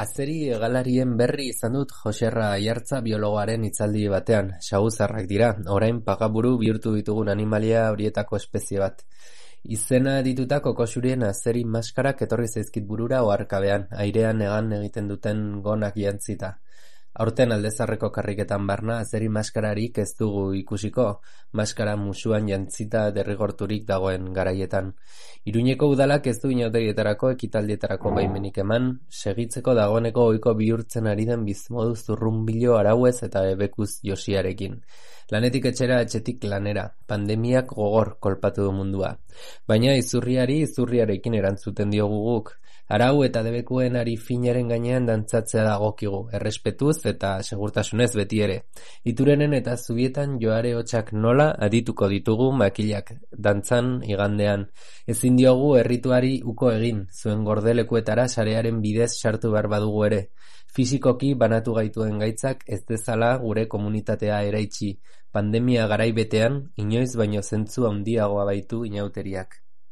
Azeri hegalarien berri izan dut Joserra Aiartza biologoaren hitzaldi batean. Saguzarrak dira, orain pagaburu bihurtu ditugun animalia horietako espezie bat. Izena dituta kokoxurien azeri maskarak etorri zaizkit burura oharkabean, airean hegan egiten duten gonak jantzita. Aurten aldezarreko karriketan barna azeri maskararik ez dugu ikusiko, maskara musuan jantzita derrigorturik dagoen garaietan. Iruñeko udalak ez du inauterietarako ekitaldietarako baimenik eman, segitzeko dagoeneko ohiko bihurtzen ari den bizmodu zurrunbilo arauez eta ebekuz josiarekin. Lanetik etxera, etxetik lanera, pandemiak gogor kolpatu du mundua. Baina izurriarekin erantzuten diogu guk. Arau eta debekuen ari finaren gainean dantzatzea dagokigu, errespetuz eta segurtasunez beti ere. Iturenen eta zubietan joare hotxak nola adituko ditugu makilak dantzan igandean. Ezin diogu errituari uko egin, zuen gordelekuetara sarearen bidez sartu behar badugu ere. Fisikoki banatu gaituen gaitzak ez dezala gure komunitatea eraitsi. Pandemia garai betean, inoiz baino zentzu handiagoa baitu inauteriak.